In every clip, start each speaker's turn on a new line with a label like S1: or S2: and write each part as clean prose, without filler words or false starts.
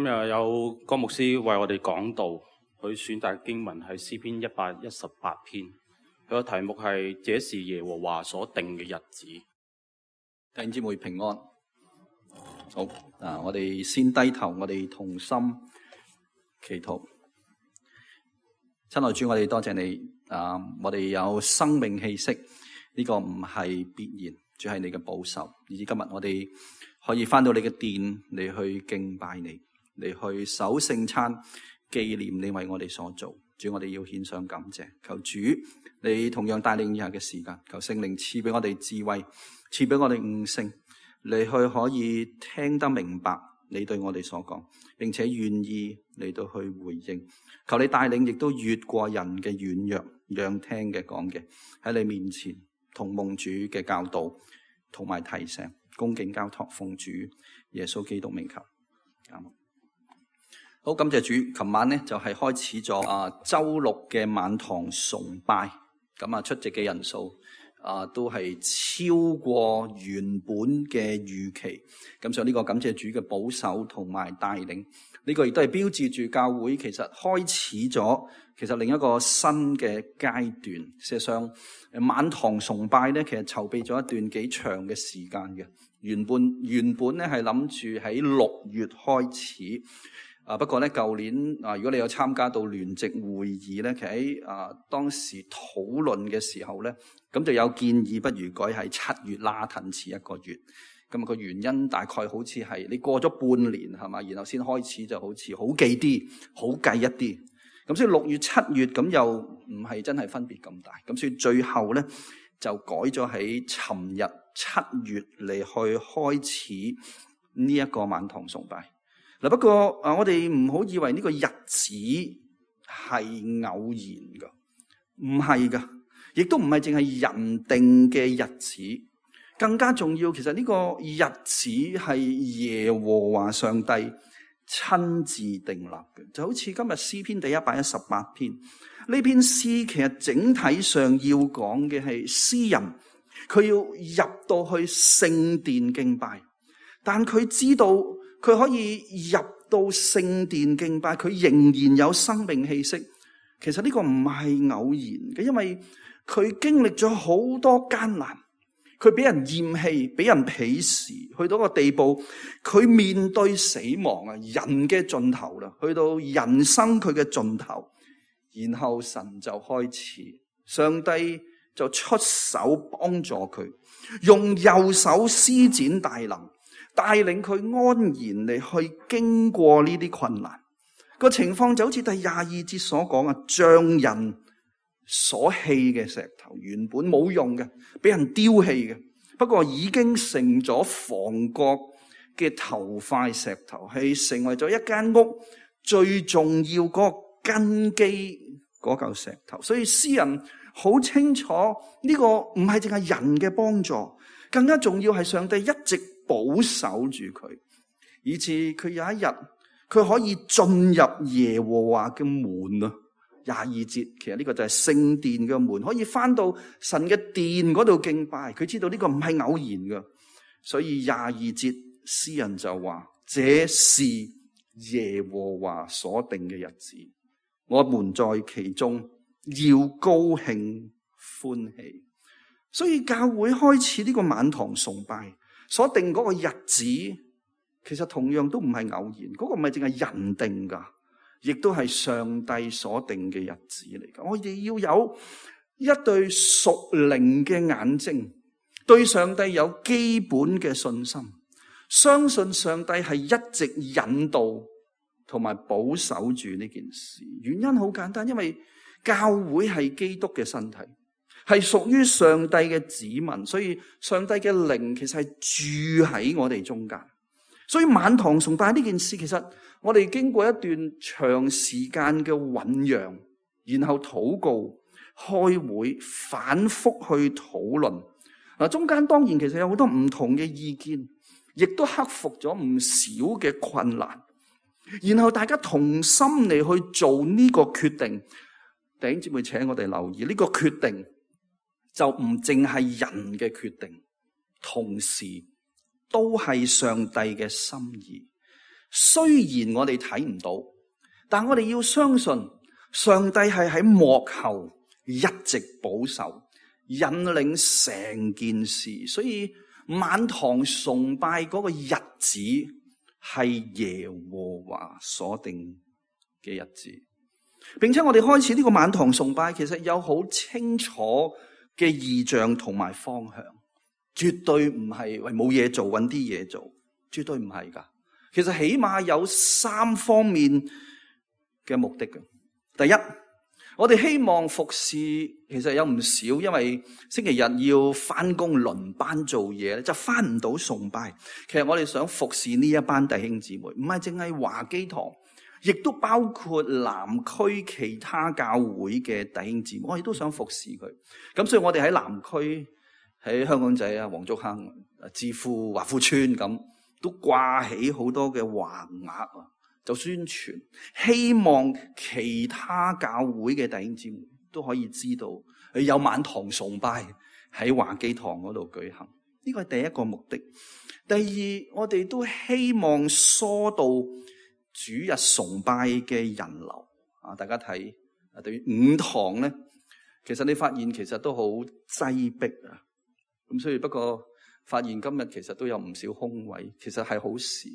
S1: 今日有江牧師為我哋講道，佢選擇經文係詩篇118篇，佢個題目係這是耶和華所定嘅日子。
S2: 弟兄姊妹平安。好，我哋先低頭，我哋同心祈禱。親愛主，我哋多謝你，我哋有生命氣息，呢個唔係必然，主係你嘅保守。以至今日我哋可以翻到你嘅殿嚟去敬拜你，嚟去守聖餐，紀念你為我哋所做。主，我哋要獻上感謝。求主你同樣帶領以下嘅時間，求聖靈賜俾我哋智慧，賜俾我哋悟性，嚟去可以聽得明白你對我哋所講，並且願意嚟到去回應。求你帶領，亦都越過人嘅軟弱，讓聽嘅講嘅喺你面前同蒙主嘅教導同埋提醒，恭敬交託奉主耶穌基督名求。好，感謝主。琴晚呢就係開始咗周六嘅晚堂崇拜，咁出席嘅人數都係超過原本嘅預期，咁所以呢個感謝主嘅保守同埋帶領，呢個亦都係標誌住教會其實開始咗另一個新嘅階段。事實上晚堂崇拜咧，其實籌備咗一段幾長嘅時間嘅，原本咧係諗住喺6月開始。不過咧，舊年如果你有參加到聯席會議咧，其實喺當時討論嘅時候咧，咁就有建議，不如改喺7月拉褪遲1個月。咁個原因大概好似係你過咗半年係嘛，然後先開始就好似好記啲、好計一啲。咁所以6月、7月咁又唔係真係分別咁大。咁所以最後咧就改咗喺尋日7月嚟去開始呢一個晚堂崇拜。嗱，不過我哋唔好以為呢個日子係偶然噶，唔係噶，亦都唔係淨係人定嘅日子，更加重要，其實呢個日子係耶和華上帝親自訂立嘅。就好似今日詩篇第118篇，呢篇詩其實整體上要講嘅係詩人佢要入到去聖殿敬拜，但佢知道佢可以入到聖殿敬拜，佢仍然有生命氣息。其實呢個唔係偶然嘅，因為佢經歷咗好多艱難，佢俾人厭棄，俾人鄙視，去到個地步，佢面對死亡啊，人嘅盡頭啦，去到人生佢嘅盡頭，然後神就開始，上帝就出手幫助佢，用右手施展大能，帶領佢安然嚟去經過呢啲困難。個情況就好似第22節所講啊，像人所棄嘅石頭，原本冇用嘅，俾人丟棄嘅，不過已經成咗房角嘅頭塊石頭，係成為咗一間屋最重要嗰個根基嗰嚿石頭。所以詩人好清楚呢個唔係淨係人嘅幫助，更加重要係上帝一直保守住佢，以致佢有一日佢可以進入耶和華嘅門啊。22節其實呢個就係聖殿嘅門，可以翻到神嘅殿嗰度敬拜。佢知道呢個唔係偶然嘅，所以22節詩人就話：這是耶和華所定嘅日子，我們在其中要高興歡喜。所以教會開始呢個晚堂崇拜所定嗰個日子，其實同樣都唔係偶然，嗰個唔係淨係人定噶，亦都係上帝所定嘅日子嚟噶。我哋要有一對屬靈嘅眼睛，對上帝有基本嘅信心，相信上帝係一直引導同埋保守住呢件事。原因好簡單，因為教會係基督嘅身體，係屬於上帝嘅子民，所以上帝嘅靈其實係住喺我哋中間。所以晚堂崇拜呢件事，其實我哋經過一段長時間嘅醞釀，然後禱告、開會、反覆去討論。中間當然其實有好多唔同嘅意見，亦都克服咗唔少嘅困難。然後大家同心嚟去做呢個決定。弟兄姊妹，請我哋留意呢個決定就唔淨係人嘅決定，同時都係上帝嘅心意。雖然我哋睇唔到，但我哋要相信上帝係喺幕後一直保守，引領成件事。所以晚堂崇拜嗰個日子係耶和華所定嘅日子，並且我哋開始呢個晚堂崇拜，其實有好清楚嘅異象同埋方向，絕對唔係為冇嘢做揾啲嘢做，絕對唔係噶。其實起碼有3方面嘅目的嘅。第一，我哋希望服侍，其實有唔少，因為星期日要翻工輪班做嘢，就翻唔到崇拜。其實我哋想服侍呢一班弟兄姊妹，唔係淨係華基堂，亦都包括南區其他教會嘅弟兄姊妹，我哋都想服侍佢。咁所以我哋喺南區，喺香港仔啊、黃竹坑、置富、華富村咁，都掛起好多嘅橫額啊，就宣傳，希望其他教會嘅弟兄姊妹都可以知道有晚堂崇拜喺華基堂嗰度舉行。呢個係第一個目的。第二，我哋都希望疏導主日崇拜嘅人流啊！大家睇對於5堂咧，其實你發現其實都好擠迫啊。咁所以不過發現今日其實都有唔少空位，其實係好事，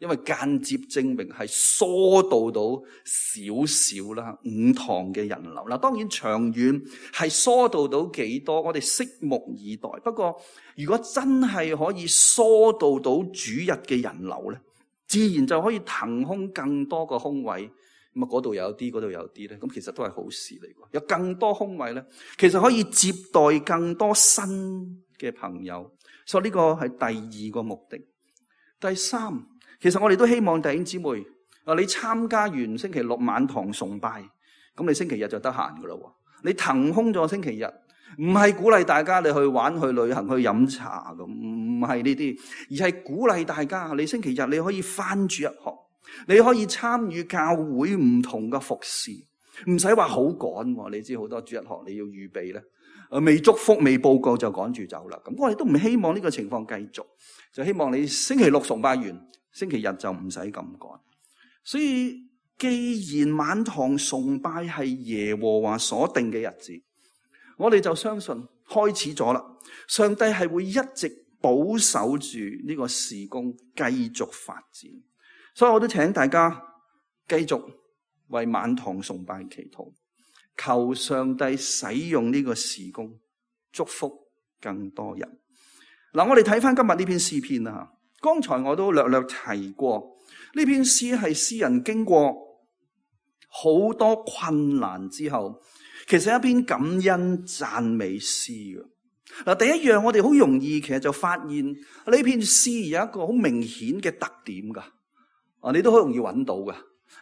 S2: 因為間接證明係疏導到少少啦5堂嘅人流。嗱，當然長遠係疏導到幾多，我哋拭目以待。不過如果真係可以疏導到主日嘅人流咧，自然就可以騰空更多個空位。咁啊，嗰度有啲，嗰度有啲咧，咁其實都係好事嚟嘅。有更多空位咧，其實可以接待更多新嘅朋友。所以呢個係第二個目的。第三，其實我哋都希望弟兄姊妹，你參加完星期六晚堂崇拜，咁你星期日就得閒噶啦。你騰空咗星期日，唔係鼓勵大家你去玩、去旅行、去飲茶咁，唔係呢啲，而係鼓勵大家你星期日你可以翻主日學，你可以參與教會唔同嘅服侍，唔使話好趕。你知好多主日學你要預備咧，未祝福未報告就趕住走啦。咁我哋都唔希望呢個情況繼續，就希望你星期六崇拜完，星期日就唔使咁趕。所以既然晚堂崇拜係耶和華所定嘅日子，我哋就相信開始咗啦，上帝係會一直保守住呢個事工繼續發展。所以我都請大家繼續為晚堂崇拜祈禱，求上帝使用呢個事工祝福更多人。嗱，我哋睇翻今日呢篇詩篇啦。剛才我都略略提過，呢篇詩係詩人經過好多困難之後，其實係一篇感恩讚美詩嘅。嗱，第一樣我哋好容易其實就發現呢篇詩有一個好明顯嘅特點噶，你都好容易揾到噶，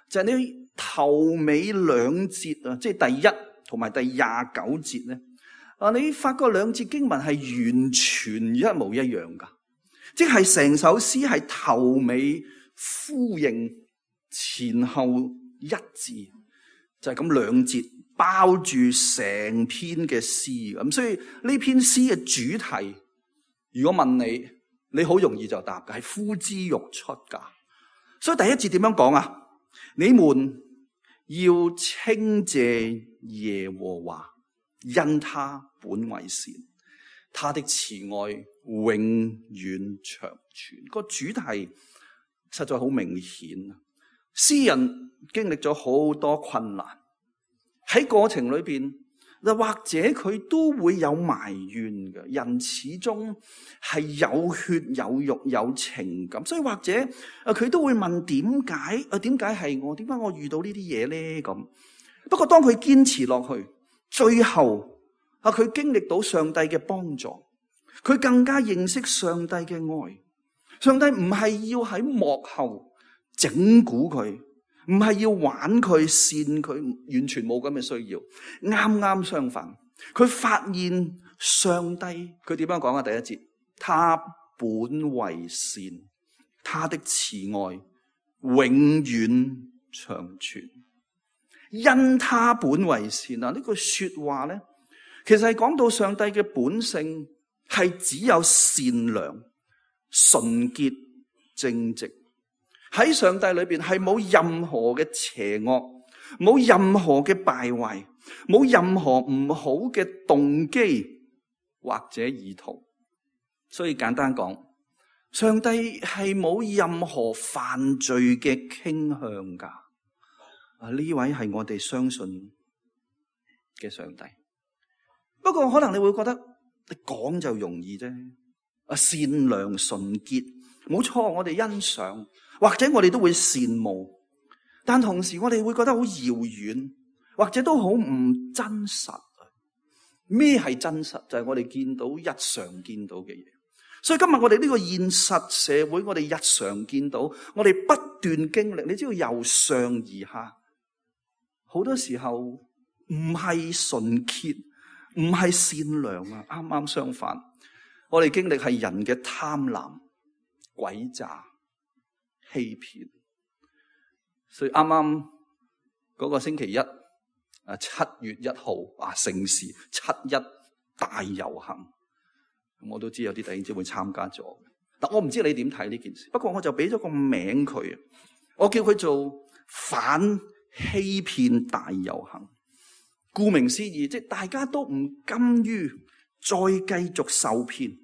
S2: 就係你頭尾2節啊，即係第1同埋第29節咧，你發覺2節經文係完全一模一樣噶，即係成首詩係頭尾呼應，前後一致，就係咁2節包住成篇嘅詩。咁所以呢篇詩嘅主題，如果問你，你好容易就答嘅，係呼之欲出噶。所以第1節點樣講啊？你們要稱謝耶和華，因他本為善，他的慈愛永遠長存。個主題實在好明顯。詩人經歷咗好多困難，喺過程裏邊，或者佢都會有埋怨嘅。人始終係有血有肉有情感，所以或者佢都會問點解？點解係我？點解我遇到呢啲嘢咧？咁不過當佢堅持落去，最後佢經歷到上帝嘅幫助，佢更加認識上帝嘅愛。上帝唔係要喺幕後整蠱佢，唔係要玩佢扇佢，完全冇咁嘅需要。啱啱相反，佢發現上帝，佢點樣講啊？第1節，他本為善，他的慈愛永遠長存。因他本為善啊！呢句說話咧，其實係講到上帝嘅本性係只有善良、純潔、正直。喺上帝裏邊係冇任何嘅邪惡，冇任何嘅敗壞，冇任何唔好嘅動機或者意圖。所以簡單講，上帝係冇任何犯罪嘅傾向噶。呢位係我哋相信嘅上帝。不過可能你會覺得你講就容易啫。善良純潔，冇錯，我哋欣賞，或者我哋都會羨慕，但同時我哋會覺得好遙遠，或者都好唔真實。咩係真實？就係我哋見到日常見到嘅嘢。所以今日我哋呢個現實社會，我哋日常見到，我哋不斷經歷，你知道由上而下，好多時候唔係純潔，唔係善良啊，啱啱相反，我哋經歷係人嘅貪婪、詭詐、欺騙。所以啱啱嗰個星期一，7月1號盛事7·1大遊行，我都知有啲弟兄姊妹參加咗。但我唔知你點睇呢件事，不過我就俾咗個名佢，我叫佢做反欺騙大遊行。顧名思義，即係大家都唔甘於再繼續受騙，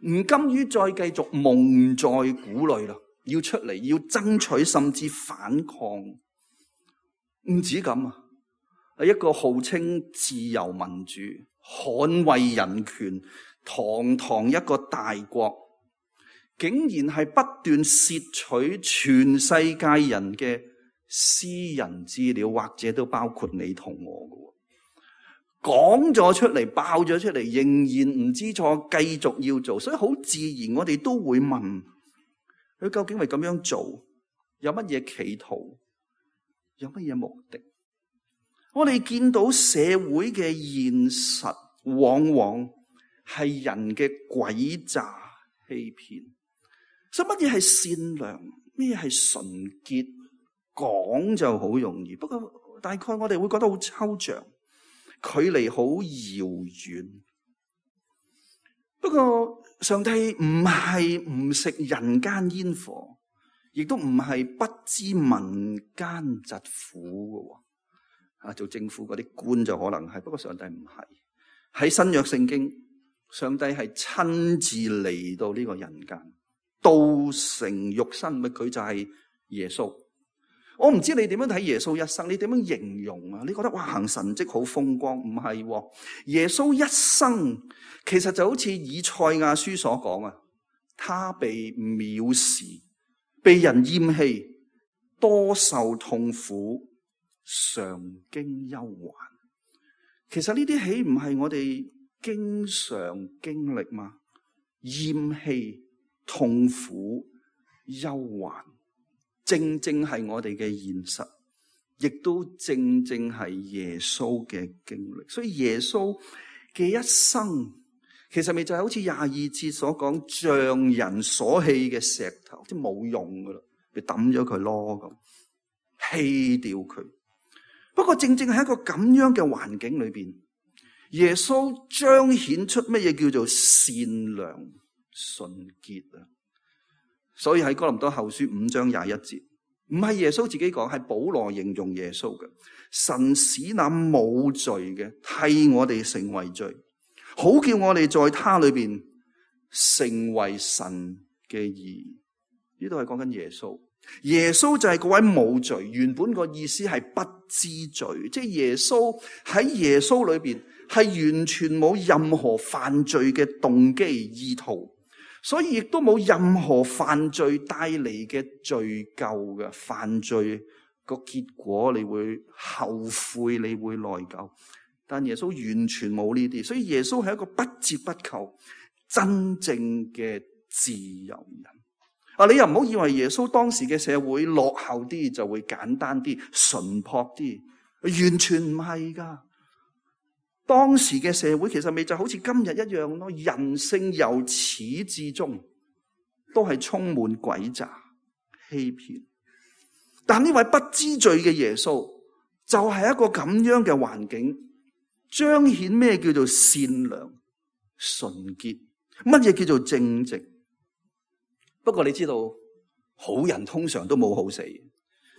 S2: 唔甘於再繼續蒙在鼓裏啦，要出嚟，要爭取，甚至反抗。唔止咁啊，一個號稱自由民主、捍衛人權、堂堂一個大國，竟然係不斷竊取全世界人嘅私人資料，或者都包括你同我嘅。講咗出嚟，爆咗出嚟，仍然唔知錯，繼續要做，所以好自然，我哋都會問佢究竟係咁樣做，有乜嘢企圖，有乜嘢目的？我哋見到社會嘅現實，往往係人嘅詭詐欺騙。所以乜嘢係善良，咩係純潔，講就好容易，不過大概我哋會覺得好抽象，距離好遙遠。不過上帝唔係唔食人間煙火，亦都唔係不知民間疾苦嘅。做政府嗰啲官就可能係，不過上帝唔係。喺新約聖經，上帝係親自嚟到呢個人間，道成肉身，佢就係耶穌。我唔知你點樣睇耶穌一生，你點樣形容啊？你覺得哇，行神蹟好風光？唔係，耶穌一生其實就好似以賽亞書所講啊，他被藐視，被人厭棄，多受痛苦，常經憂患。其實呢啲豈唔係我哋經常經歷嗎？厭棄、痛苦、憂患，正正係我哋嘅現實，亦都正正係耶穌嘅經歷。所以耶穌嘅一生，其實咪就係好似22節所講，像人所棄嘅石頭，即係冇用噶啦，你抌咗佢咯，咁棄掉佢。不過正正喺一個咁樣嘅環境裏邊，耶穌彰顯出乜嘢叫做善良純潔啊！所以喺哥林多後書5章21節，唔係耶穌自己講，係保羅形容耶穌嘅。神使那冇罪嘅替我哋成為罪，好叫我哋在他裏邊成為神嘅義。呢度係講緊耶穌。耶穌就係嗰位冇罪，原本個意思係不知罪，即係耶穌喺耶穌裏邊係完全冇任何犯罪嘅動機意圖，所以亦都冇任何犯罪帶嚟嘅罪疚嘅。犯罪個結果你會後悔，你會內疚，但耶穌完全冇呢啲，所以耶穌係一個不折不扣真正嘅自由人。你又唔好以為耶穌當時嘅社會落後啲就會簡單啲、淳樸啲，完全唔係噶。當時嘅社會其實咪就好似今日一樣咯，人性由始至終都係充滿詭詐、欺騙。但呢位不知罪嘅耶穌就係一個咁樣嘅環境，彰顯咩叫做善良、純潔，乜嘢叫做正直。不過你知道好人通常都冇好死。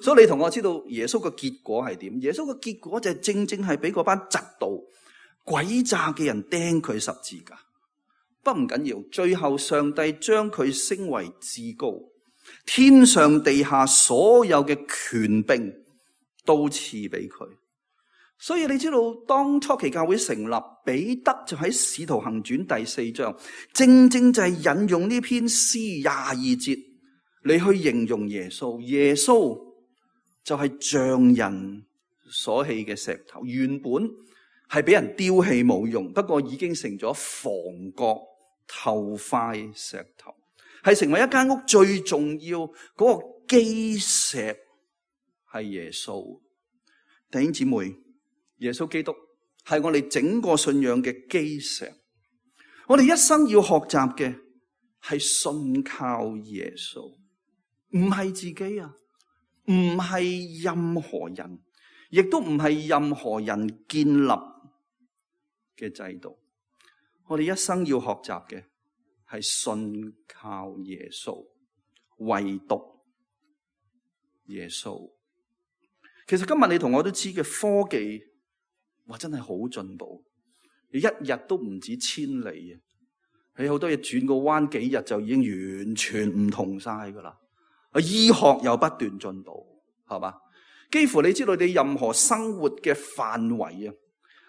S2: 所以你同我知道耶穌嘅結果係點？耶穌嘅結果就係正正係俾嗰班嫉妒詭詐嘅人釘佢十字架。不唔緊要，最後上帝將佢升為至高，天上地下所有嘅權柄都賜俾佢。所以你知道，當初期教會成立，彼得就喺《使徒行傳》第4章，正正就係引用呢篇詩22節嚟去形容耶穌。耶穌就係匠人所棄嘅石頭，原本係俾人丟棄冇用，不過已經成咗房角頭塊石頭，係成為一間屋最重要嗰個基石，係耶穌。弟兄姊妹，耶穌基督係我哋整個信仰嘅基石。我哋一生要學習嘅係信靠耶穌，唔係自己啊，唔係任何人，亦都唔係任何人建立嘅制度。我哋一生要學習嘅係信靠耶穌，唯獨耶穌。其實今日你同我都知嘅科技，哇，真係好進步，你一日都唔止千里啊！你好多嘢轉個彎，幾日就已經完全唔同晒噶啦。醫學又不斷進步，係嘛？幾乎你知道你任何生活嘅範圍啊，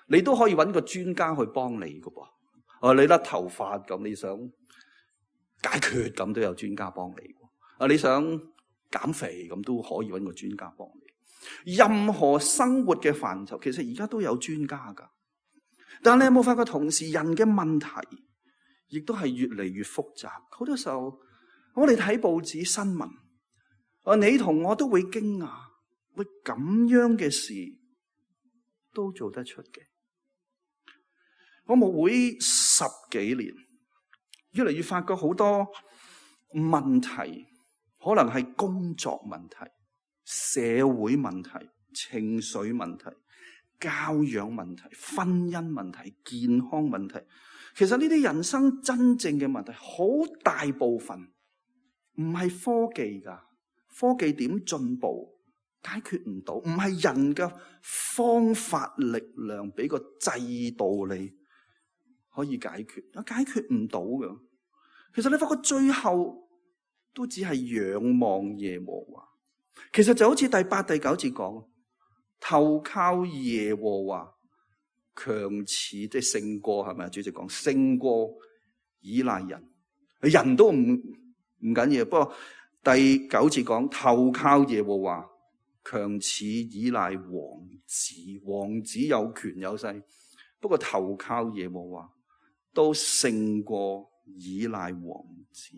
S2: 你都可以揾個專家去幫你噶噃。你甩頭髮咁，你想解決咁都有專家幫你。你想減肥咁都可以揾個專家幫你。任何生活嘅範疇，其實而家都有專家噶。但你有冇發覺，同時人嘅問題亦都係越嚟越複雜。好多時候，我哋睇報紙新聞，你同我都會驚訝，喂，咁樣嘅事都做得出嘅。我牧會10幾年，越嚟越發覺好多問題，可能係工作問題、社會問題、情緒問題、教養問題、婚姻問題、健康問題。其實呢啲人生真正嘅問題，好大部分唔係科技㗎，科技點進步解決唔到，唔係人嘅方法力量俾個制度你可以解決唔到㗎。其實你發覺最後都只係仰望耶和華。其實就好似第8、第9節講，投靠耶和華，強似即係勝過，係咪？主席講勝過依賴人，人都唔緊要。不過第9節講投靠耶和華，強似依賴王子。王子有權有勢，不過投靠耶和華都勝過依賴王子。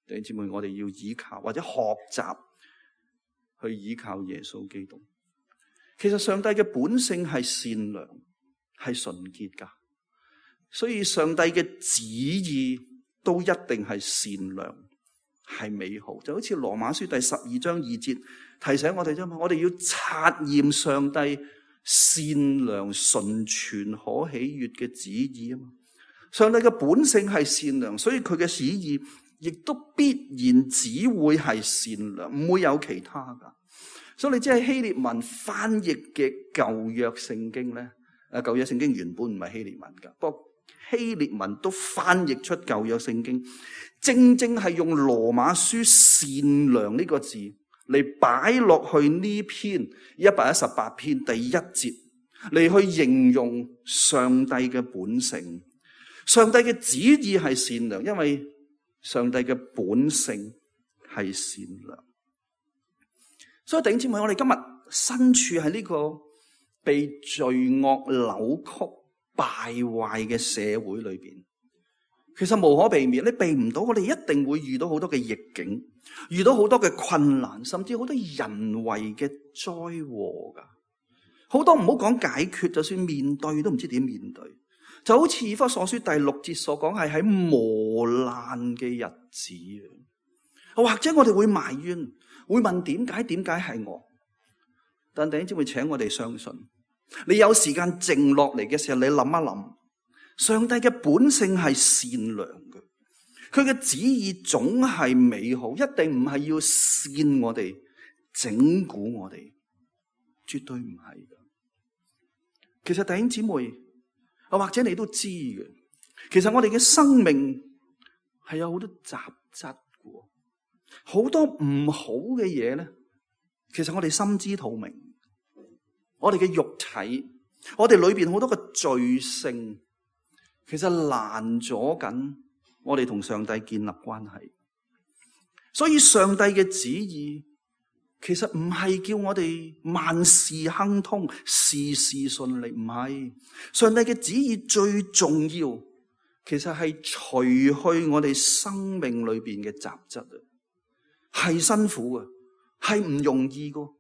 S2: 弟兄姊妹，我哋要依靠或者學習去依靠耶穌基督。其實上帝嘅本性係善良，係純潔噶，所以上帝嘅旨意都一定係善良，係美好。就好似羅馬書第12章2節提醒我哋啫嘛，我哋要察驗上帝善良、純全、可喜悅嘅旨意啊嘛。上帝嘅本性係善良，所以佢嘅旨意亦都必然只會係善良，唔會有其他噶。所以你知係希臘文翻譯嘅舊約聖經咧，舊約聖經原本唔係希臘文噶，不過希臘文都翻譯出舊約聖經，正正係用羅馬書善良呢個字嚟擺落去呢篇118篇第1節嚟去形容上帝嘅本性。上帝嘅旨意係善良，因為上帝嘅本性係善良。所以弟兄姊妹，我哋今日身處喺呢個被罪惡扭曲敗壞嘅社會裏邊，其實無可避免，你避唔到，我哋一定會遇到好多嘅逆境，遇到好多嘅困難，甚至好多人為嘅災禍噶。好多唔好講解決，就算面對都唔知點面對。就好似以弗所書第6節所講，係喺磨難嘅日子，或者我哋會埋怨，會問點解係我？但弟兄姊妹，請我哋相信，你有時間靜落嚟嘅時候，你諗一諗，上帝嘅本性係善良嘅。佢嘅旨意總係美好，一定唔係要煽我哋、整蠱我哋，絕對唔係嘅。其實弟兄姊妹，或者你都知嘅，其實我哋嘅生命係有好多雜質嘅，好多唔好嘅嘢咧。其實我哋心知肚明，我哋嘅肉體，我哋裏邊好多嘅罪性，其實攔阻緊我哋同上帝建立關係。所以上帝嘅旨意其實唔係叫我哋萬事亨通、事事順利，唔係。上帝嘅旨意最重要，其實係除去我哋生命裏邊嘅雜質啊，係辛苦嘅，係唔容易嘅。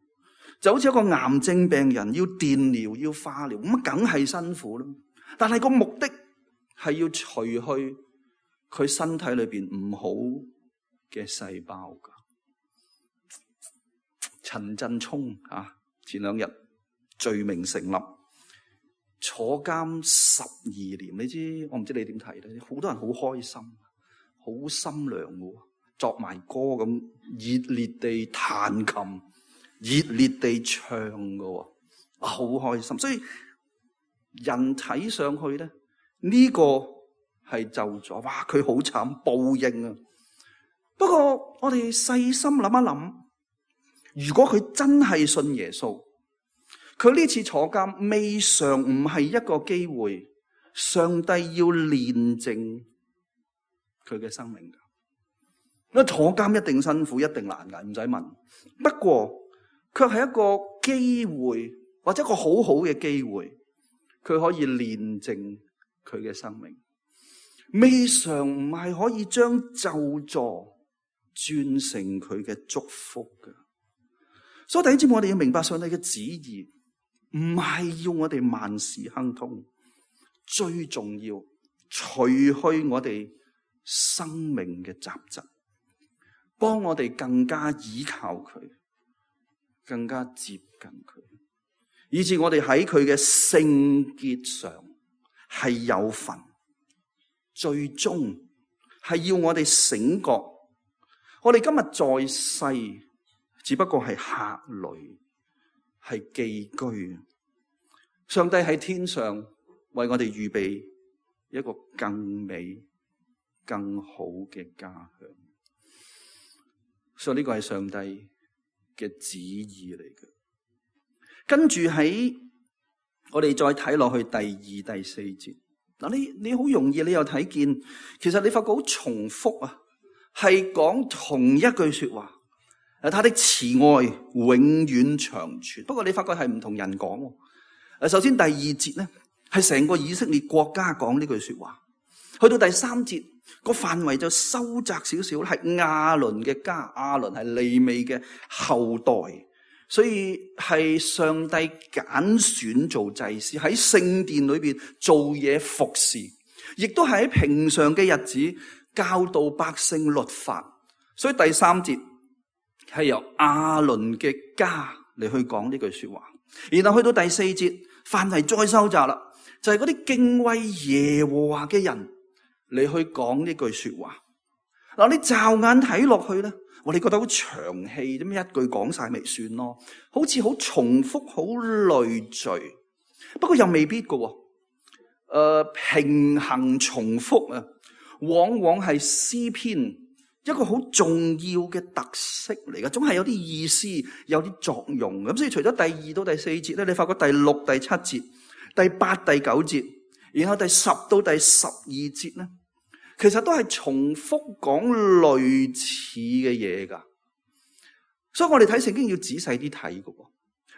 S2: 就好似一個癌症病人要電療、要化療，咁梗係辛苦啦。但係個目的係要除去佢身體裏邊唔好嘅細胞噶。陳振聰前2日罪名成立，坐監12年。你知我唔知你點睇咧？好多人好開心，好心涼嘅，作埋歌咁熱烈地彈琴，熱烈地唱嘅，好開心。所以人睇上去咧，呢個係咒詛，哇！佢好慘，報應啊！不過我哋細心諗一諗，如果佢真係信耶穌，佢呢次坐監未嘗唔係一個機會，上帝要煉淨佢嘅生命噶。因為坐監一定辛苦，一定難捱，唔使問。不過卻係一個機會，或者一個好好嘅機會，佢可以煉淨佢嘅生命。未嘗唔係可以將咒詛轉成佢嘅祝福噶。所以第一節我哋要明白上帝嘅旨意，唔係要我哋萬事亨通，最重要除去我哋生命嘅雜質，幫我哋更加依靠佢，更加接近佢，以致我哋喺佢嘅聖潔上係有份。最終係要我哋醒覺，我哋今日在世只不過係客旅，係寄居。上帝喺天上為我哋預備一個更美、更好嘅家鄉。所以呢個係上帝嘅旨意嚟嘅。跟住喺我哋再睇落去第2、第4節。嗱，你好容易，你又睇見，其實你發覺好重複啊，係講同一句說話。他的慈愛永遠長存。不過你發覺係唔同人講。首先第2節咧，係成個以色列國家講呢句說話。去到第3節，個範圍就收窄少少，係亞倫嘅家，亞倫係利未嘅後代。所以係上帝揀選做祭司，喺聖殿裏邊做嘢服侍，亦都係喺平常嘅日子教導百姓律法。所以第3節係由亞倫嘅家嚟去講呢句說話，然後去到第4節範圍再收窄啦，就係嗰啲敬畏耶和華嘅人嚟去講呢句說話。嗱，你驟眼睇落去咧，我哋覺得好長氣，咁一句講晒咪算咯，好似好重複、好累贅。不過又未必㗎，平衡重複啊，往往係詩篇一個好重要嘅特色嚟嘅，總係有啲意思、有啲作用。咁所以除咗第2到第4節咧，你發覺第6、第7節、第8、第9節，然後第10到第12節咧，其實都係重複講類似嘅嘢噶。所以我哋睇聖經要仔細啲睇噶。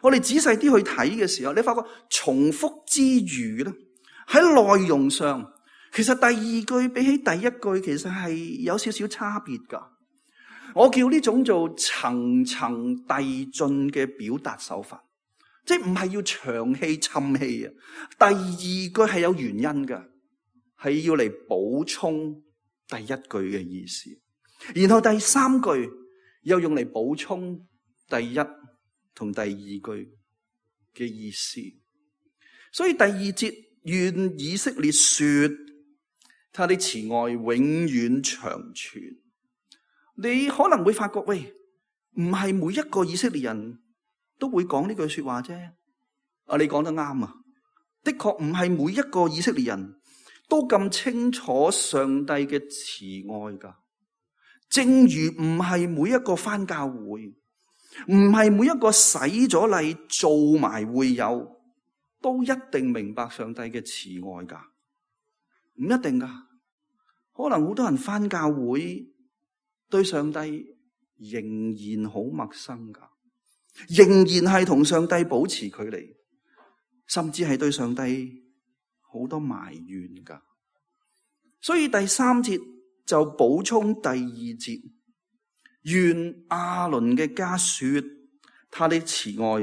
S2: 我哋仔細啲去睇嘅時候，你發覺重複之餘咧，喺內容上，其實第2句比起第1句其實係有少少差別噶。我叫呢種做層層遞進嘅表達手法，即係唔係要長氣沉氣啊。第2句係有原因噶，係要嚟補充第1句嘅意思，然後第3句又用嚟補充第1同第2句嘅意思。所以第2節願以色列說，他的慈愛永遠長存。你可能會發覺，喂，唔係每一個以色列人都會講呢句說話啫。你講得啱啊，的確唔係每一個以色列人都咁清楚上帝嘅慈愛噶。正如唔係每一個返教會，唔係每一個洗咗禮做埋會友，都一定明白上帝嘅慈愛噶，唔一定噶。可能好多人返教會，對上帝仍然好陌生噶，仍然係同上帝保持距離，甚至係對上帝好多埋怨噶。所以第3節就補充第2節，願亞倫嘅家說，他的慈愛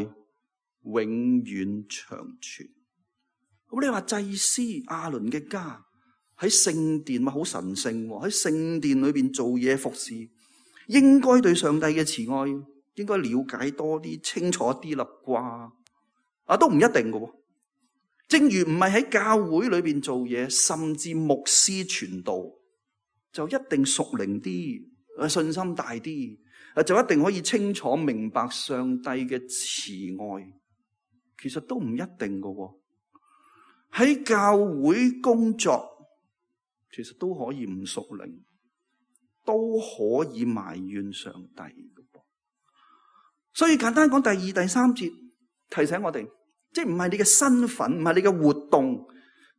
S2: 永遠長存。咁你話祭司亞倫嘅家喺聖殿咪好神聖喎，喺聖殿裏邊做嘢服侍，應該對上帝嘅慈愛應該了解多啲、清楚啲啦啩？都唔一定嘅。正如唔係喺教會裏邊做嘢，甚至牧師傳道，就一定屬靈啲、信心大啲，就一定可以清楚明白上帝嘅慈愛。其實都唔一定嘅。喺教會工作，其實都可以唔屬靈，都可以埋怨上帝嘅。所以簡單講，第2、第3節提醒我哋，即係唔係你嘅身份，唔係你嘅活動，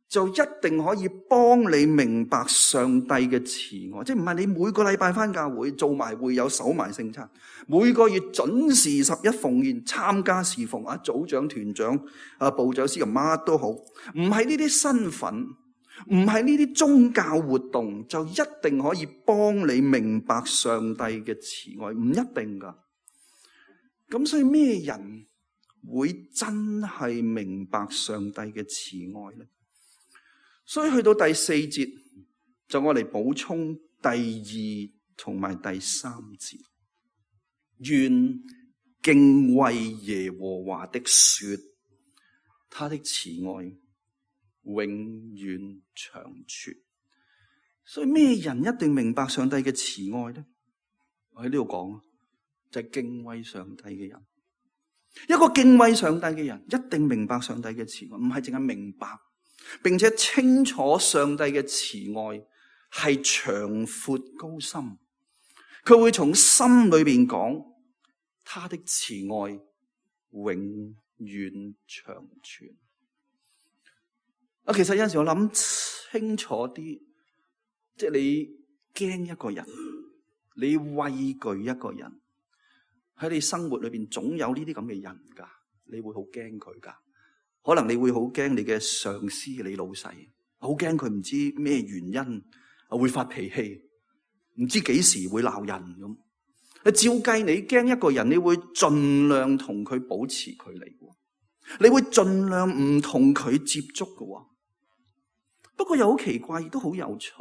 S2: 就一定可以幫你明白上帝嘅慈愛。即係唔係你每個禮拜返教會做埋會友、守埋聖餐，每個月準時11奉獻、參加侍奉組長、團長、部長、司琴乜都好，唔係呢啲身份，唔係呢啲宗教活動，就一定可以幫你明白上帝嘅慈愛，唔一定噶。咁所以咩人會真係明白上帝嘅慈愛呢？所以去到第4節，就我嚟補充第2同埋第3節。願敬畏耶和華的說，他的慈愛永遠長存。所以咩人一定明白上帝嘅慈愛呢？我喺呢度講，就係敬畏上帝嘅人。一個敬畏上帝嘅人一定明白上帝嘅慈愛，唔係淨係明白，並且清楚上帝嘅慈愛係長闊高深。佢會從心裏邊講，他的慈愛永遠長存。其實有陣時我諗清楚啲，即係你驚一個人，你畏懼一個人，喺你生活裏邊總有呢啲咁嘅人噶，你會好驚佢噶。可能你會好驚你嘅上司、你老細，好驚佢唔知咩原因會發脾氣，唔知幾時會鬧人咁。照計你驚一個人，你會盡量同佢保持距離，你會盡量唔同佢接觸嘅。不過又好奇怪，亦都好有趣。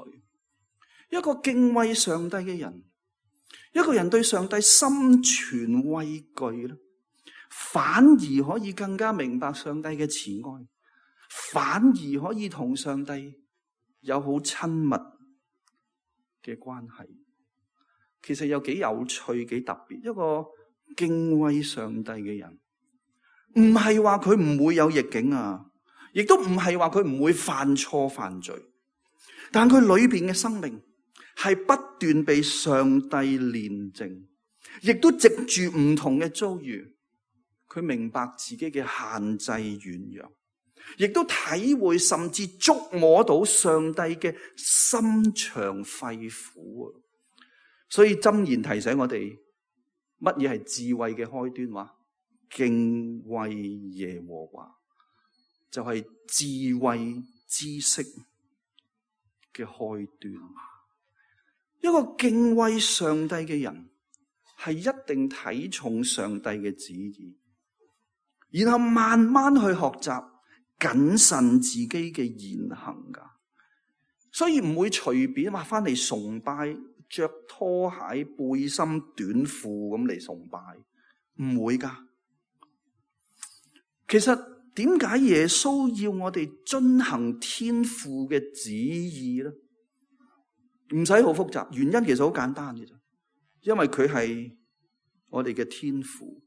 S2: 一個敬畏上帝嘅人，一個人對上帝心存畏懼咧，反而可以更加明白上帝嘅慈愛，反而可以同上帝有好親密嘅關係。其實有幾有趣、幾特別。一個敬畏上帝嘅人，唔係話佢唔會有逆境啊，亦都唔係話佢唔會犯錯犯罪，但佢裏邊嘅生命係不斷被上帝煉淨，亦都藉住唔同嘅遭遇，佢明白自己嘅限制軟弱，亦都體會甚至觸摸到上帝嘅心腸肺腑。所以箴言提醒我哋，乜嘢係智慧嘅開端？話敬畏耶和華，就係智慧知識嘅開端。一個敬畏上帝嘅人，係一定睇重上帝嘅旨意，然後慢慢去學習謹慎自己嘅言行噶。所以唔會隨便話翻嚟崇拜，着拖鞋、背心、短褲咁嚟崇拜，唔會噶。其實點解耶穌要我哋遵行天父嘅旨意咧？唔使好複雜，原因其實好簡單嘅啫，因為佢係我哋嘅天父，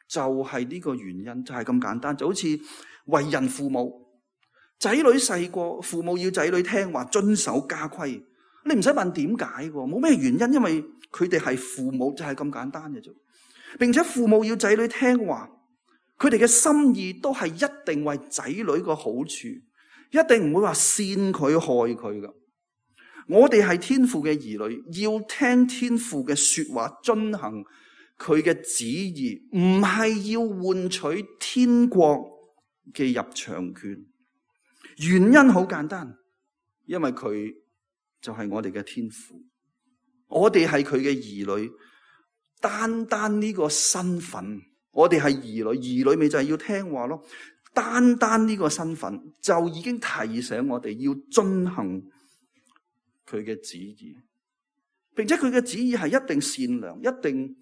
S2: 就係呢個原因，就係咁簡單，就好似為人父母，仔女細個，父母要仔女聽話，遵守家規，你唔使問點解，冇咩原因，因為佢哋係父母，就係咁簡單嘅啫。並且父母要仔女聽話，佢哋嘅心意都係一定為仔女個好處，一定唔會話煽佢害佢噶。我哋係天父嘅兒女，要聽天父嘅說話，遵行佢嘅旨意，唔係要換取天國嘅入場券。原因好簡單，因為佢就係我哋嘅天父，我哋係佢嘅兒女。單單呢個身份，我哋係兒女，兒女咪就係要聽話咯。單單呢個身份就已經提醒我哋要遵行佢嘅旨意，並且佢嘅旨意係一定善良，一定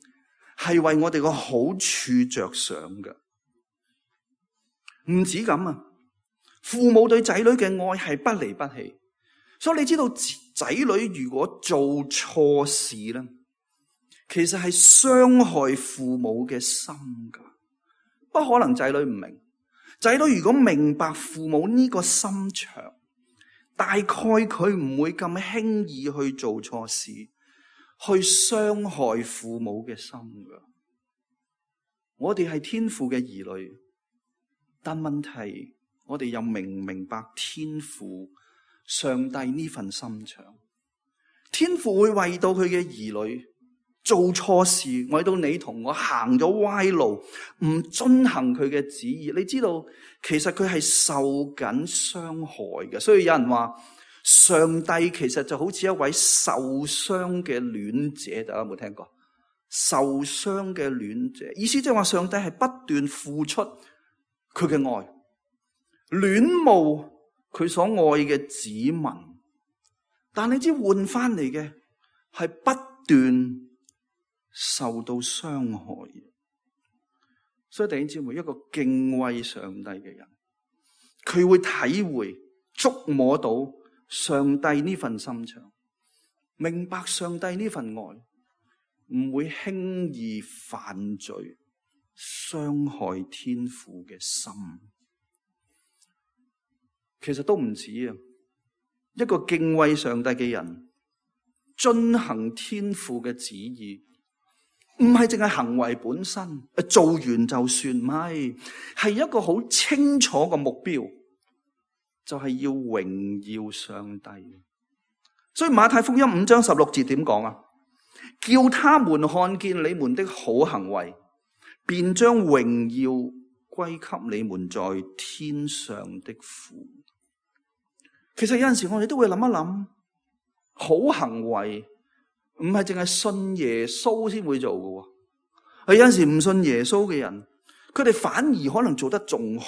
S2: 係為我哋個好處着想嘅。唔止咁啊，父母對仔女嘅愛係不離不棄，所以你知道仔女如果做錯事咧，其實係傷害父母嘅心噶。不可能仔女唔明，仔女如果明白父母呢個心腸，大概佢唔會咁輕易去做錯事，去傷害父母嘅心噶。我哋係天父嘅兒女，但問題我哋又明唔明白天父上帝呢份心腸？天父會為到佢嘅兒女做錯事，為到你同我行咗歪路，唔遵行佢嘅旨意，你知道其實佢係受緊傷害嘅。所以有人話上帝其實就好似一位受傷嘅戀者，大家有冇聽過？受傷嘅戀者，意思即係話上帝係不斷付出佢嘅愛，戀慕佢所愛嘅子民，但你知換翻嚟嘅係不斷受到傷害。所以弟兄姊妹，一個敬畏上帝嘅人，佢會體會觸摸到上帝呢份心腸，明白上帝呢份愛，唔會輕易犯罪，傷害天父嘅心。其實都唔止啊，一個敬畏上帝嘅人，遵行天父嘅旨意，唔係淨係行為本身，做完就算，唔係，係一個好清楚嘅目標，就係要榮耀上帝。所以馬太福音5章16節點講啊？叫他們看見你們的好行為，便將榮耀歸給你們在天上的父。其實有陣時我哋都會諗一諗，好行為唔係淨係信耶穌先會做嘅。係有陣時唔信耶穌嘅人，佢哋反而可能做得仲好。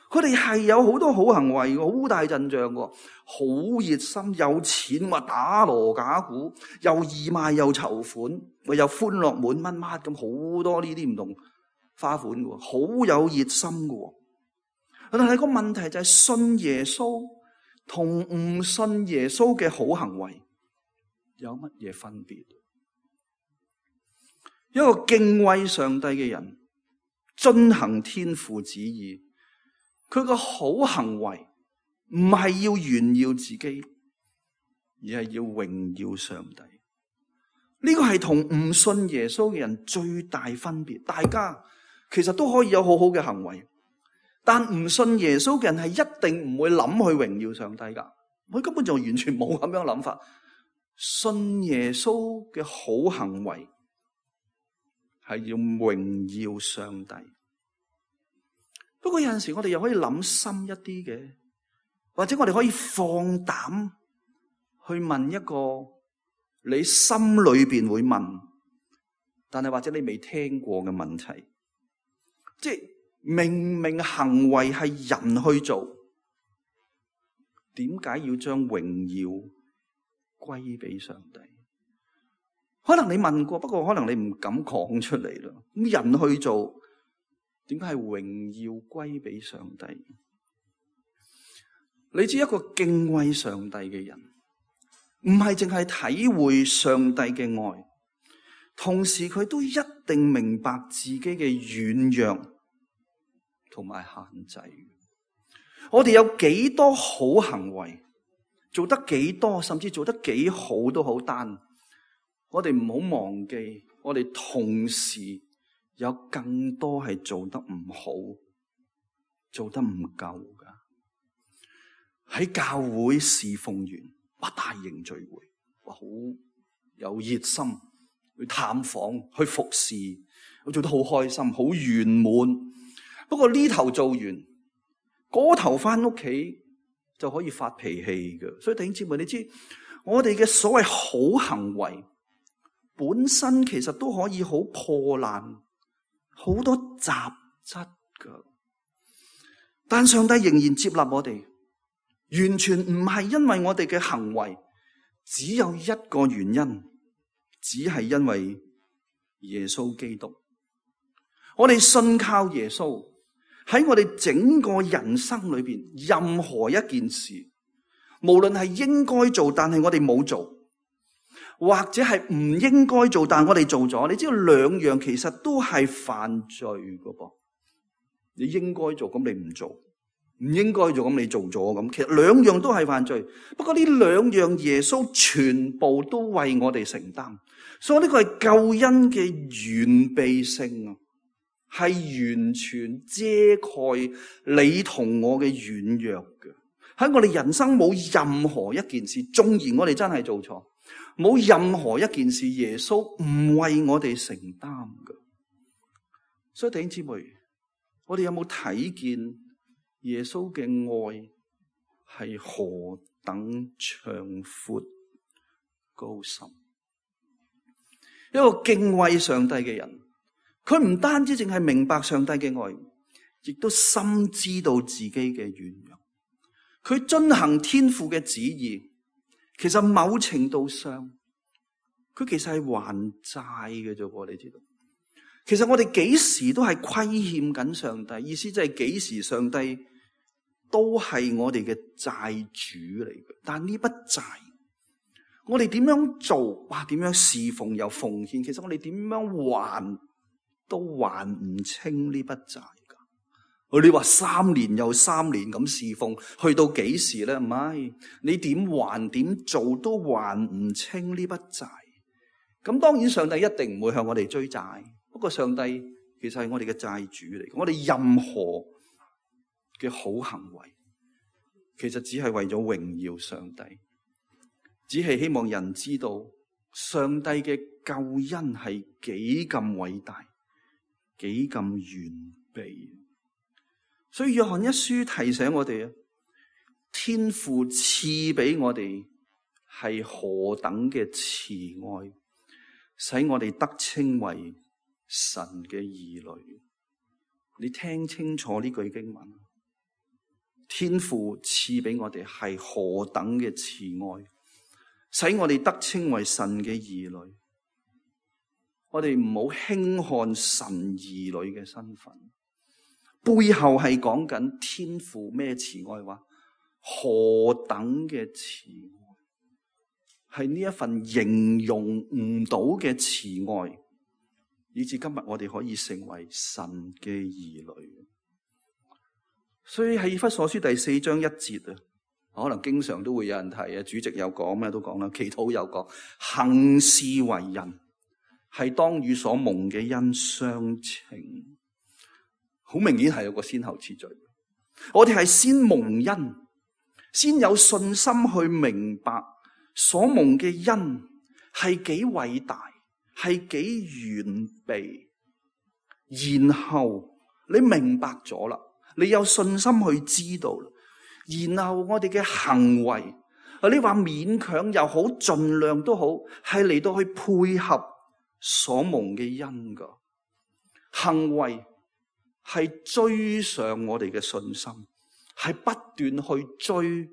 S2: 佢哋係有好多好行為，好大陣仗，好熱心，有錢，話打鑼打鼓，又義賣又籌款，又歡樂滿乜乜咁，好多呢啲唔同花款嘅，好有熱心嘅。但係個問題就係信耶穌同唔信耶穌嘅好行為有乜嘢分別？一個敬畏上帝嘅人，遵行天父旨意，佢個好行為唔係要炫耀自己，而係要榮耀上帝。呢個係同唔信耶穌嘅人最大分別。大家其實都可以有好好嘅行為，但唔信耶穌嘅人係一定唔會諗去榮耀上帝噶，佢根本就完全冇咁樣諗法。信耶穌嘅好行為係要榮耀上帝。不過有陣時我哋又可以諗深一啲嘅，或者我哋可以放膽去問一個你心裏邊會問，但係或者你未聽過嘅問題，即係明明行為係人去做，點解要將榮耀歸俾上帝？可能你問過，不過可能你唔敢講出嚟啦。咁人去做，點解係榮耀歸俾上帝？你知一個敬畏上帝嘅人，唔係淨係體會上帝嘅愛，同時佢都一定明白自己嘅軟弱同埋限制。我哋有幾多好行為，做得幾多，甚至做得幾好都好，但我哋唔好忘記，我哋同時有更多係做得唔好，做得唔夠噶。喺教會侍奉完大型聚會，好有熱心去探訪，去服侍，我做得好開心，好圓滿。不過呢頭做完，嗰頭翻屋企就可以發脾氣嘅。所以弟兄姊妹，你知我哋嘅所謂好行為本身其實都可以好破爛，好多雜質噶。但上帝仍然接納我哋，完全唔係因為我哋嘅行為，只有一個原因，只係因為耶穌基督。我哋信靠耶穌，喺我哋整個人生裏邊，任何一件事，無論係應該做但係我哋冇做，或者係唔應該做但我哋做咗，你知道兩樣其實都係犯罪噶噃。你應該做，咁你唔做；唔應該做，咁你做咗，咁其實兩樣都係犯罪。不過呢兩樣耶穌全部都為我哋承擔，所以呢個係救恩嘅完備性啊，係完全遮蓋你同我嘅軟弱嘅。喺我哋人生冇任何一件事，縱然我哋真係做錯，冇任何一件事耶穌唔為我哋承擔嘅。所以弟兄姊妹，我哋有冇睇見耶穌嘅愛係何等長闊高深？一個敬畏上帝嘅人，佢唔單止淨係明白上帝嘅愛，亦都深知道自己嘅軟弱。佢遵行天父嘅旨意，其實某程度上，佢其實係還債嘅啫。你知道？其實我哋幾時都係虧欠緊上帝，意思即係幾時上帝都係我哋嘅債主嚟嘅。但呢筆債，我哋點樣做？哇！點樣侍奉又奉獻？其實我哋點樣還都還唔清呢筆債噶。你話3年又3年咁侍奉，去到幾時咧？唔係，你點還點做都還唔清呢筆債。咁當然上帝一定唔會向我哋追債。不過上帝其實係我哋嘅債主嚟，我哋任何嘅好行為，其實只係為咗榮耀上帝，只係希望人知道上帝嘅救恩係幾咁偉大，幾咁完備。所以約翰一書提醒我哋啊，天父賜俾我哋係何等嘅慈愛，使我哋得稱為神嘅兒女。你聽清楚呢句經文，天父賜俾我哋係何等嘅慈愛，使我哋得稱為神嘅兒女。我哋唔好輕看神兒女嘅身份，背後係講緊天父咩慈愛話？何等嘅慈愛，係呢一份形容唔到嘅慈愛，以至今日我哋可以成為神嘅兒女。所以喺以弗所書第4章1節啊，可能經常都會有人提啊，主席有講咩都講啦，祈禱有講，行事為人係當與所蒙嘅恩相稱。好明顯係有個先後次序，我哋係先蒙恩，先有信心去明白所蒙嘅恩係幾偉大，係幾完備，然後你明白咗啦，你有信心去知道啦，然後我哋嘅行為，你話勉強又好，盡量都好，係嚟到去配合所蒙嘅恩噶行為，係追上我哋嘅信心，係不斷去追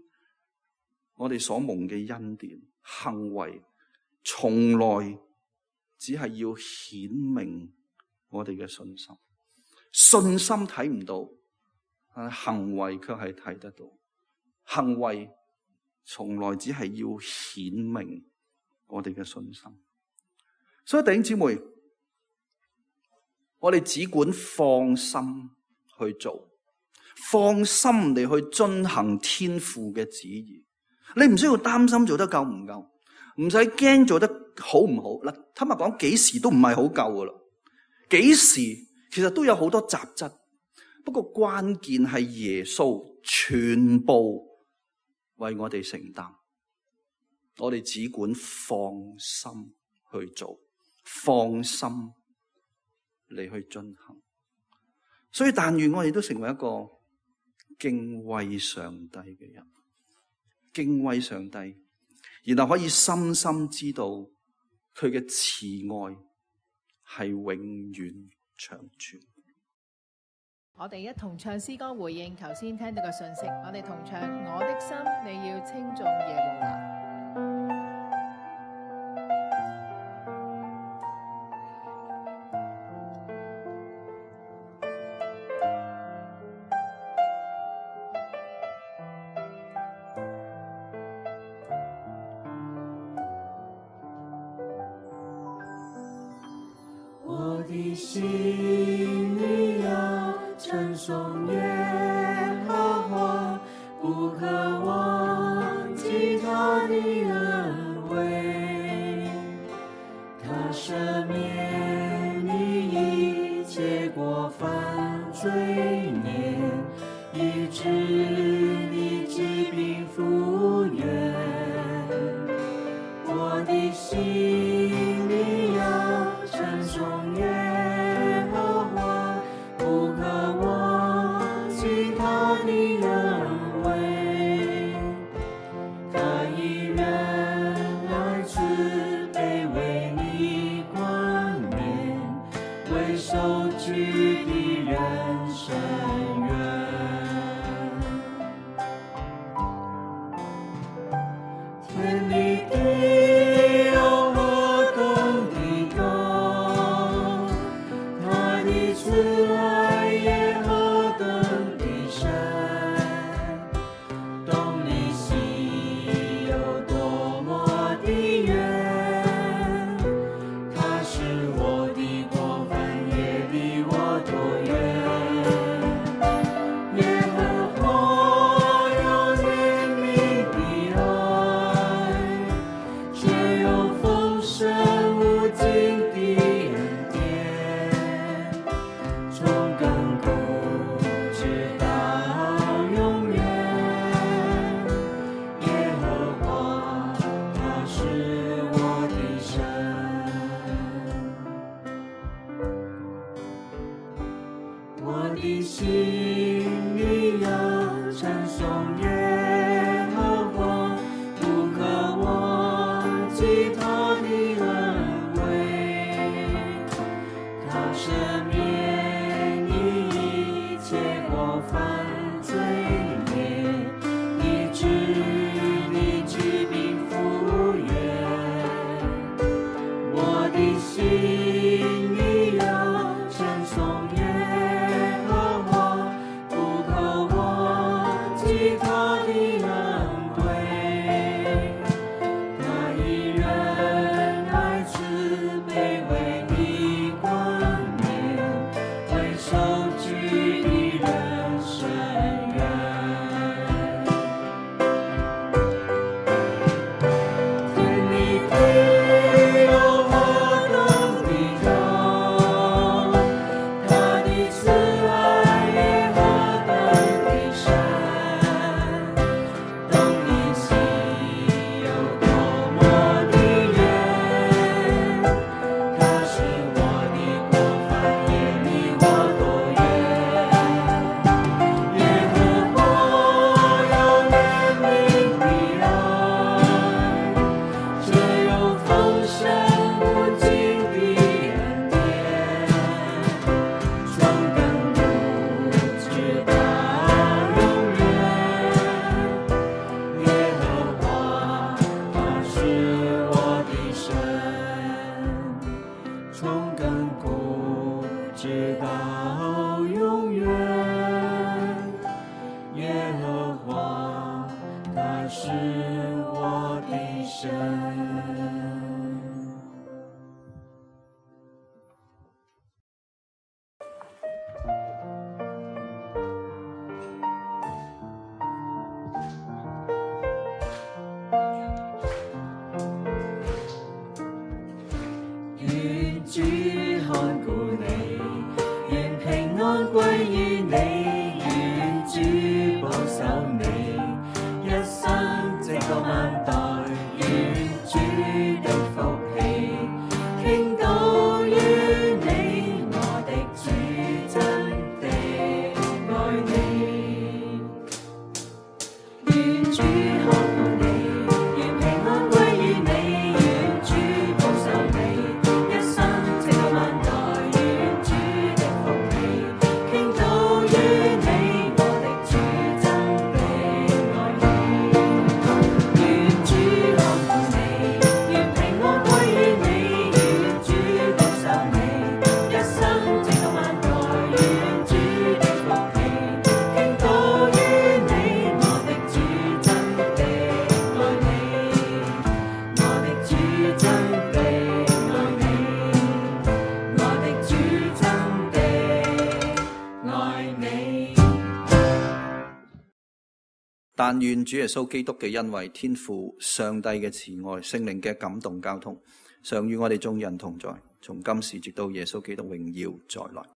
S2: 我哋所蒙嘅恩典。行為從來只係要顯明我哋嘅信心，信心睇唔到，行為卻係睇得到。行為從來只係要顯明我哋嘅信心。所以弟兄姊妹，我哋只管放心去做，放心地去遵行天父嘅旨意。你唔需要擔心做得夠唔夠，唔使驚做得好唔好。嗱，坦白講，幾時都唔係好夠噶啦，幾時其實都有好多雜質。不過關鍵係耶穌全部為我哋承擔，我哋只管放心去做，放心嚟去進行。所以但願我哋都成為一個敬畏上帝嘅人，敬畏上帝，然後可以深深知道佢嘅慈愛係永遠長存。
S3: 我哋一同唱詩歌回應頭先聽到嘅信息，我哋同唱我的心你要稱頌耶和華。
S4: 我的心里要稱頌耶和華，不可忘記他的恩惠，他赦免你一切過犯罪孽，醫治你疾病復原。我的心里要稱頌耶和華，不可忘記他的恩惠，他以仁愛慈悲為你冠冕，為受屈的人伸冤。天離地有何等的高，他的慈愛也何等的深，懂你心有多麼的遠，他使我的過犯也離我多遠。耶和華有憐憫的愛，卻有豐盛無盡的恩典，從亙古直到永遠。耶和華他是我的神，我的心裡要稱頌耶和華，不可忘記他的恩惠，他赦免你一切過犯罪孽，醫治你疾病復原。我的心裡要稱頌耶和華，不可忘記他的恩惠，他以仁愛慈悲為你冠冕，為受屈的人伸冤。天離地有何等的高，他的慈愛也何等的深，懂你心有多麼的遠，他使我的過犯也離我多遠。耶和華有憐憫的愛，卻有豐盛無盡的恩典，從亙古直到永遠。耶和華他是我的神，從亙古直到永遠。耶和華他是我的神。願主看顧你，願平安歸於你，願主保守你，一生直到萬代，願主的福氣傾倒於你，我的主真的愛你。願主看顧你，願平安歸於你，願主保守你，一生直到萬代，願主的福氣傾倒於你，我的主真的愛你。願主看顧你，願平安歸於你，願主保守你，一生直到萬代，願主的福氣傾倒於你，我的主真的愛你，我的主真的愛你，我的主真的愛你。
S2: 但願主耶穌基督嘅恩惠、天父上帝嘅慈愛、聖靈嘅感動交通，常與我哋眾人同在，從今時直到耶穌基督榮耀再來。